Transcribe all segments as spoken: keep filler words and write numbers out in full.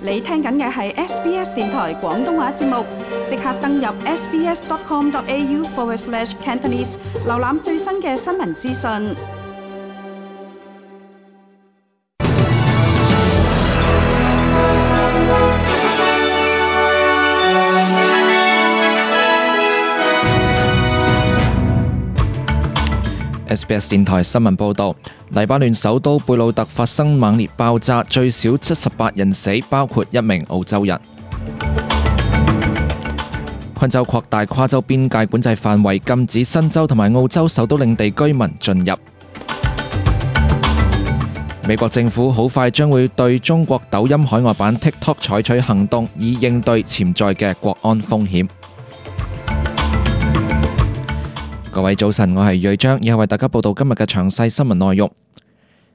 你聽緊嘅係 S B S 電台廣東話節目，即刻登入 sbs.com.au forward slash Cantonese， 瀏覽最新嘅新聞資訊。S B S 電台新聞報道，黎巴嫩首都貝魯特發生猛烈爆炸，最少七十八人死，包括一名澳洲人。昆州擴大跨州邊界管制範圍，禁止新州同埋澳洲首都領地居民進入。美國政府好快將會對中國抖音海外版 TikTok 採取行動，以應對潛在嘅國安風險。各位早晨，我係瑞章，以後為大家報道今日嘅詳細新聞內容。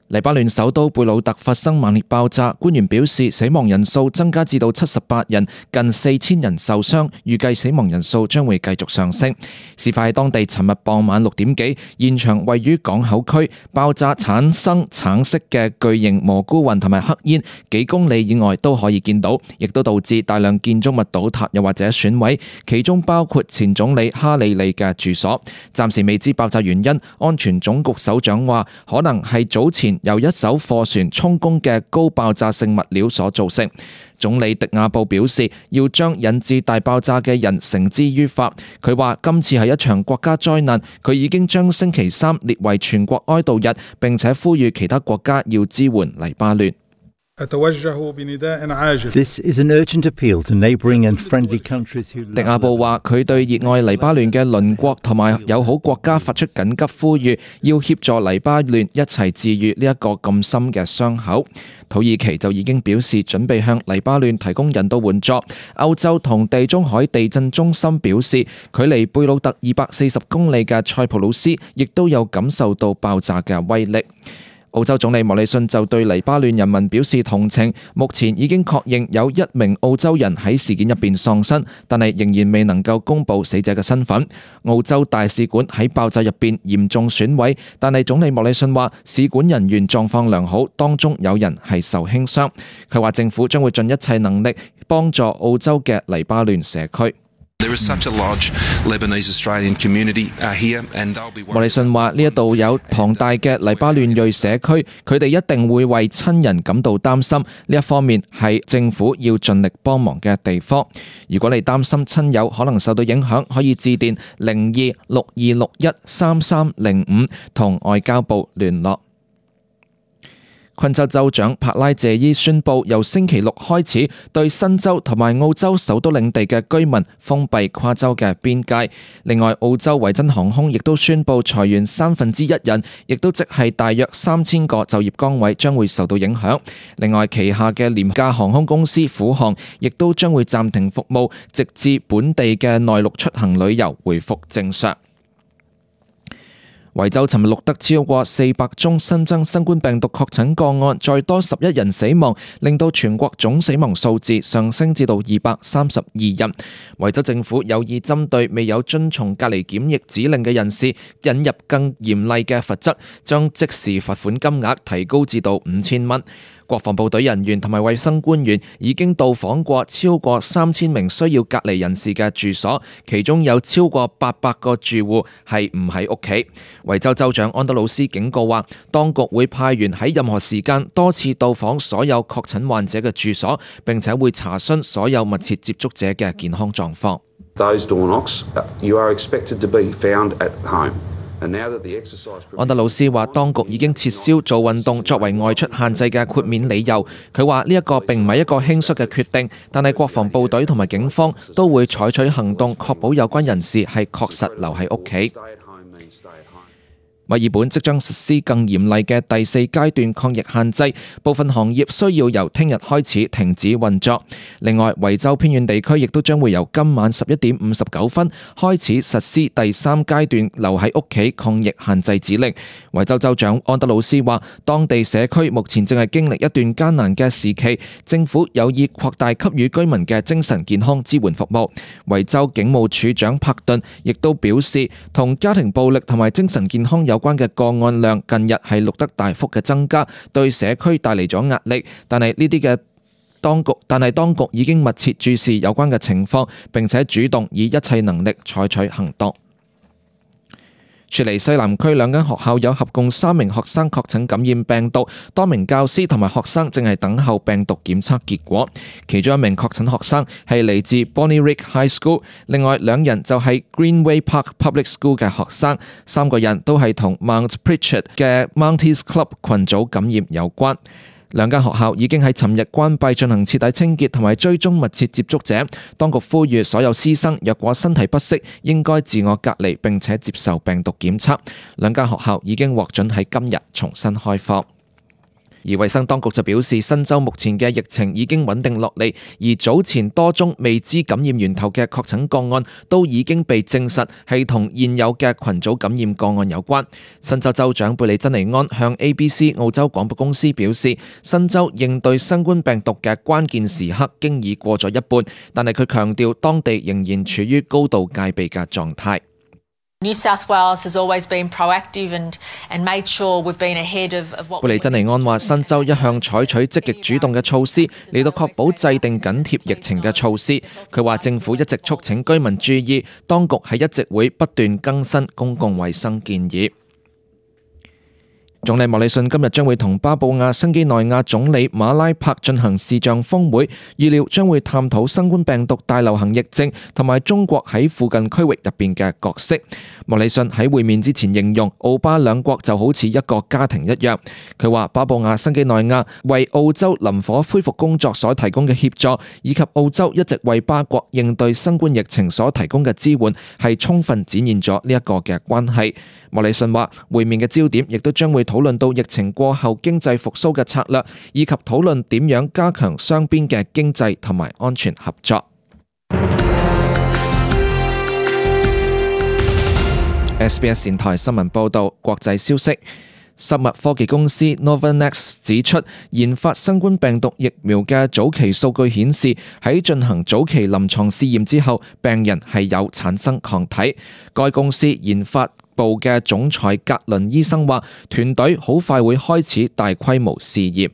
黎巴嫩首都貝魯特發生猛烈爆炸，官員表示死亡人數增加至到七十八人，近四千人受傷，預計死亡人數將會繼續上升。事發喺當地尋日傍晚六點幾，現場位於港口區，爆炸產生橙色嘅巨型蘑菇雲同埋黑煙，幾公里以外都可以見到，亦都導致大量建築物倒塌又或者損毀，其中包括前總理哈里利嘅住所。暫時未知爆炸原因，安全總局首長話可能係早前由一艘貨船充公嘅高爆炸性物料所造成。總理迪亞布表示，要將引致大爆炸嘅人繩之於法。佢話今次係一場國家災難，佢已經將星期三列為全國哀悼日，並且呼籲其他國家要支援黎巴嫩。This is an urgent appeal to neighboring and friendly countries who... 迪亞布話佢對熱愛黎巴嫩嘅鄰國同埋友好國家發出緊急呼籲，要協助黎巴嫩一齊治癒呢一個咁深嘅傷口。土耳其就已經表示準備向黎巴嫩提供人道援助。歐洲同地中海地震中心表示，距離貝魯特二百四十公里嘅塞浦路斯亦都有感受到爆炸嘅威力。澳洲總理莫里遜就對黎巴嫩人民表示同情，目前已經確認有一名澳洲人喺事件入邊喪生，但係仍然未能夠公布死者嘅身份。澳洲大使館喺爆炸入邊嚴重損毀，但係總理莫里遜話使館人員狀況良好，當中有人係受輕傷。佢話政府將會盡一切能力幫助澳洲嘅黎巴嫩社區。莫里遜話：呢一度有龐大嘅黎巴嫩裔社區，佢哋一定會為親人感到擔心。呢一方面係政府要盡力幫忙嘅地方。如果你擔心親友可能受到影響，可以致電零二六二六一三三零五同外交部聯絡。昆州州長帕拉謝伊宣布，由星期六開始對新州同埋澳洲首都領地嘅居民封閉跨州嘅邊界。另外，澳洲維珍航空亦都宣布裁員三分之一人，亦都即係大約三千個就業崗位將會受到影響。另外，旗下嘅廉價航空公司虎航亦都將會暫停服務，直至本地嘅內陸出行旅遊回復正常。維州尋日錄得超過四百宗新增新冠病毒確診個案，再多十一人死亡，令到全國總死亡數字上升至到二百三十二人。維州政府有意針對未有遵從隔離檢疫指令嘅人士，引入更嚴厲嘅罰則，將即時罰款金額提高至到五千蚊。國防部隊人員同埋衛生官員已經到訪過超過三千名需要隔離人士嘅住所，其中有超過八百個住戶係唔喺屋企。維州州長安德魯斯警告話，當局會派員喺任何時間多次到訪所有確診患者嘅住所，並且會查詢所有密切接觸者嘅健康狀況。Those door knocks, you are expected to be found at home.安德魯斯話，當局已經撤銷做運動作為外出限制嘅豁免理由。佢話呢一個並唔係一個輕率嘅決定，但係國防部隊同埋警方都會採取行動，確保有關人士係確實留喺屋企。墨爾本即將實施更嚴厲嘅第四階段抗疫限制，部分行業需要由聽日開始停止運作。另外，維州偏遠地區亦都將會由今晚十一點五十九分開始實施第三階段留喺屋企抗疫限制指令。維州州長安德魯斯話，當地社區目前正係經歷一段艱難嘅時期，政府有意擴大給予居民嘅精神健康支援服務。維州警務處長柏頓亦都表示，同家庭暴力同埋精神健康有關嘅個案量近日係錄得大幅嘅增加，對社區帶嚟咗壓力。但係呢啲嘅當局，但係當局已經密切注視有關嘅情況，並且主動以一切能力採取行動。雪梨西南區兩間學校有合共三名學生確診感染病毒，多名教師同埋學生正係等候病毒檢測結果。其中一名確診學生係嚟自 Bonnyrigg High School， 另外兩人就係 Greenway Park Public School 嘅學生，三個人都係同 Mount Pritchard 嘅 Mounties Club 群組感染有關。兩間學校已經喺尋日關閉進行徹底清潔同埋追蹤密切接觸者。當局呼籲所有師生若果身體不適，應該自我隔離並且接受病毒檢測。兩間學校已經獲准喺今日重新開課。而衛生當局就表示，新州目前嘅疫情已經穩定落嚟，而早前多宗未知感染源頭嘅確診個案都已經被證實係同現有嘅群組感染個案有關。新州州長貝利珍尼安向 A B C 澳洲廣播公司表示，新州應對新冠病毒嘅關鍵時刻經已過咗一半，但係佢強調當地仍然處於高度戒備嘅狀態。New South Wales has always been proactive and, and made sure we've been ahead of, of what... 貝利珍尼安話，新州一向採取積極主動嘅措施嚟到確保制定緊貼疫情嘅措施。佢話政府一直促請居民注意，當局係一直會不斷更新公共衛生建議。總理莫里遜今日將會同巴布亞新幾內亞總理馬拉柏進行視像峰會，預料將會探討新冠病毒大流行疫症同埋中國喺附近區域入邊嘅角色。莫里遜喺會面之前形容澳巴兩國就好似一個家庭一樣。佢話巴布亞新幾內亞為澳洲林火恢復工作所提供嘅協助，以及澳洲一直為巴國應對新冠疫情所提供嘅支援，係充分展現咗呢一個嘅關係。莫里遜話會面嘅焦點亦都將會討論到疫情過後經濟復甦嘅策略，以及討論點樣加強雙邊嘅經濟同埋安全合作。S B S 電台新聞報道，國際消息。生物科技公司 Novavax 指出，研發新冠病毒疫苗嘅早期數據顯示，喺進行早期臨床試驗之後，病人係有產生抗體。該公司研發部嘅總裁格倫醫生話，團隊好快會開始大規模試驗。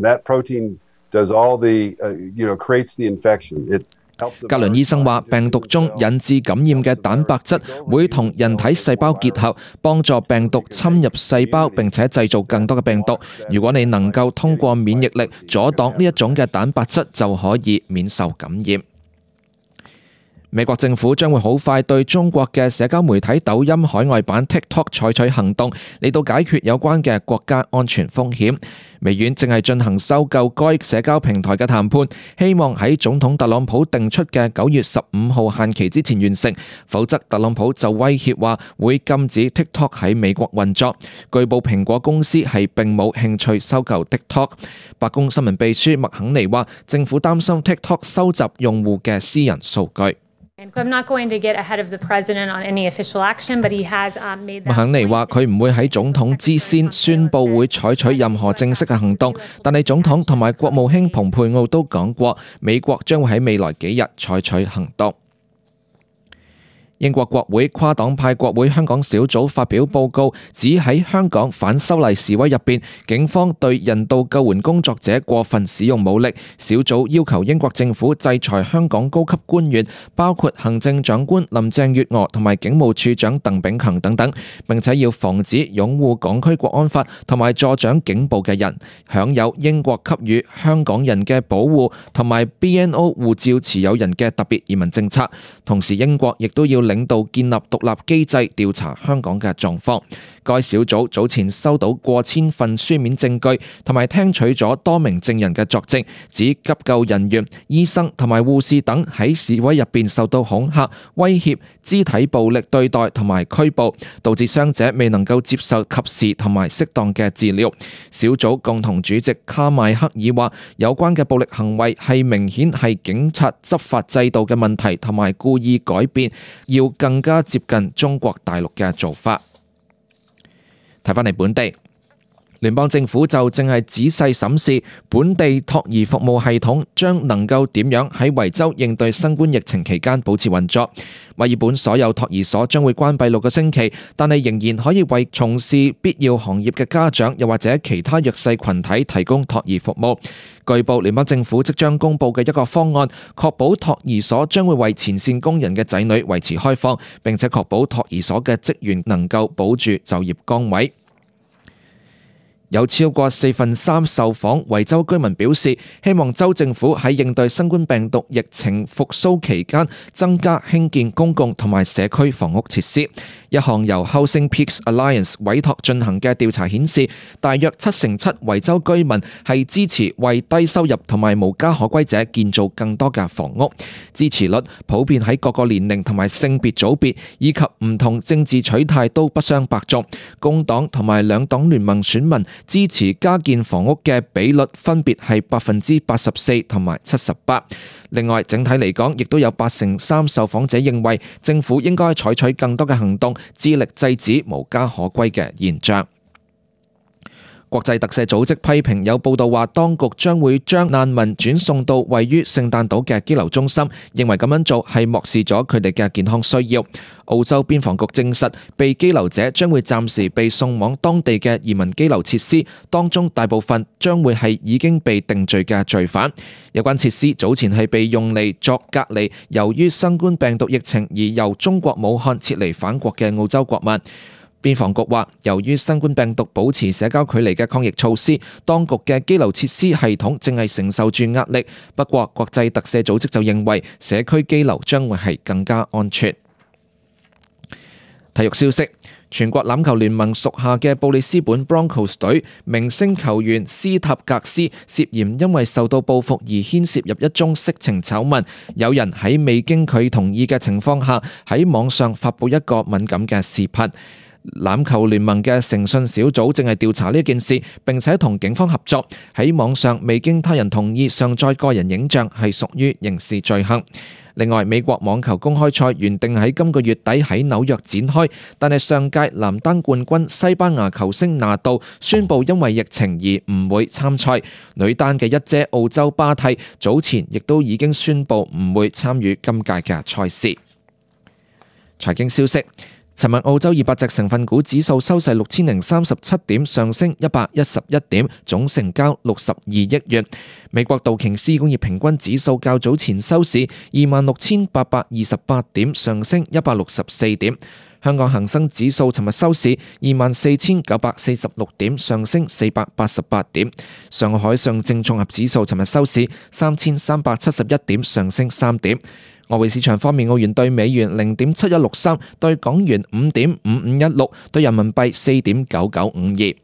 That protein does all the, uh, you know, creates the infection. It格倫醫生話，病毒中引致感染嘅蛋白質會同人體細胞結合，幫助病毒侵入細胞並且製造更多嘅病毒。如果你能夠通過免疫力阻擋呢一種嘅蛋白質，就可以免受感染。美國政府將會好快對中國嘅社交媒體抖音海外版 TikTok 採取行動，嚟到解決有關嘅國家安全風險。微軟正係進行收購該社交平台嘅談判，希望喺總統特朗普定出嘅九月十五號限期之前完成，否則特朗普就威脅話會禁止 TikTok 喺美國運作。據報蘋果公司係並冇興趣收購 TikTok。白宮新聞秘書麥肯尼話，政府擔心 TikTok 收集用戶嘅私人數據。麥肯尼話：佢唔會喺總統之先宣布會採取任何正式嘅行動，但係總統同埋國務卿蓬佩奧都講過，美國將會喺未來幾日採取行動。英國國會跨黨派國會香港小組發表報告，指喺香港反修例示威入邊，警方對人道救援工作者過分使用武力。小組要求英國政府制裁香港高級官員，包括行政長官林鄭月娥同埋警務處長鄧炳強等等，並且要防止擁護港區國安法同埋助長警暴嘅人享有英國給予香港人嘅保護同埋 B N O 護照持有人嘅特別移民政策。同時，英國亦都要領導建立獨立機制調查香港嘅狀況。該小組早前收到過千份書面證據，同埋聽取咗多名證人嘅作證，指急救人員、醫生同埋護士等喺示威入邊受到恐嚇、威脅、肢體暴力對待同埋拘捕，導致傷者未能夠接受及時同埋適當嘅治療。小組共同主席卡邁克爾話，有關嘅暴力行為係明顯係警察執法制度嘅問題，同埋故意改變，要更加接近中國大陸嘅做法。睇返嚟本地，聯邦政府就正係仔細審視本地托兒服務系統將能夠點樣喺維州應對新冠疫情期間保持運作。墨爾本所有托兒所將會關閉六個星期，但係仍然可以為從事必要行業嘅家長又或者其他弱勢群體提供托兒服務。據報，聯邦政府即將公布嘅一個方案，確保托兒所將會為前線工人嘅仔女維持開放，並且確保托兒所嘅職員能夠保住就業崗位。有超過四分三受訪維州居民表示，希望州政府喺應對新冠病毒疫情復甦期間增加興建公共同埋社區房屋設施。一項由 Housing Peaks Alliance 委託進行嘅調查顯示，大約七成七維州居民係支持為低收入同埋無家可歸者建造更多嘅房屋。支持率普遍喺各個年齡同埋性別組別以及唔同政治取態都不相伯仲。工黨同埋兩黨聯盟選民支持加建房屋嘅比率分別係百分之八十四同埋七十八。另外，整體嚟講，亦都有八成三受訪者認為政府應該採取更多嘅行動，致力制止無家可歸嘅現象。國際特赦組織批評有報道話，當局將會將難民轉送到位於聖誕島嘅羈留中心，認為咁樣做係漠視咗佢哋嘅健康需要。澳洲邊防局證實，被羈留者將會暫時被送往當地嘅移民羈留設施，當中大部分將會係已經被定罪嘅罪犯。有關設施早前係被用嚟作隔離，由於新冠病毒疫情而由中國武漢撤離返國嘅澳洲國民。邊防局話，由於新冠病毒保持社交距離嘅抗疫措施，當局嘅羈留設施系統正係承受住壓力。不過，國際特赦組織就認為社區羈留將會係更加安全。體育消息，全國欖球聯盟屬下嘅布里斯本 Broncos 隊明星球員斯塔格斯涉嫌因為受到報復而牽涉入一宗色情醜聞，有人喺未經佢同意嘅情況下喺網上發布一個敏感嘅視頻。欖球聯盟嘅誠信小組正係調查呢件事，並且同警方合作，喺網上未經他人同意上載個人影像係屬於刑事罪行。另外，美國網球公開賽原定喺今個月底喺紐約展開，但係上屆男單冠軍西班牙球星拿度宣布因為疫情而唔會參賽。女單嘅一姐澳洲巴蒂早前亦都已經宣布唔會參與今屆嘅賽事。財經消息。尋日澳洲二百隻成分股指數收市六千零三十七點，上升一百一十一點，總成交六十二億元。美國道瓊斯工業平均指數較早前收市二萬六千八百二十八點，上升一百六十四點。香港恒生指數尋日收市二萬四千九百四十六點，上升四百八十八點。上海上證綜合指數尋日收市三千三百七十一點，上升三點。外匯市場方面，澳元兌美元零點七一六三，兌港元五點五五一六，兌人民幣四點九九五二。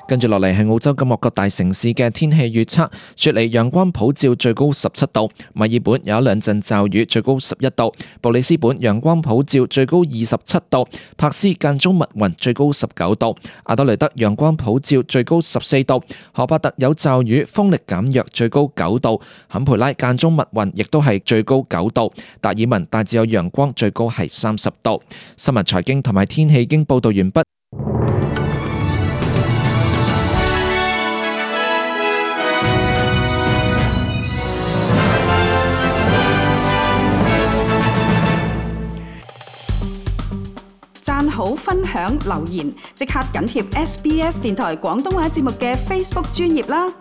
跟住落嚟係澳洲今日各大城市嘅天氣預測。雪梨陽光普照，最高十七度；墨爾本有一兩陣驟雨，最高十一度；布里斯本陽光普照，最高二十七度；柏斯間中密雲，最高十九度；阿德雷德陽光普照，最高十四度；荷伯特有驟雨，風力減弱，最高九度；坎培拉間中密雲，亦都係最高九度；達爾文大致有陽光，最高係三十度。新聞財經同埋天氣已經報道完畢。讚好、分享、留言，即刻緊貼 S B S 電台廣東話節目嘅 Facebook 專頁啦！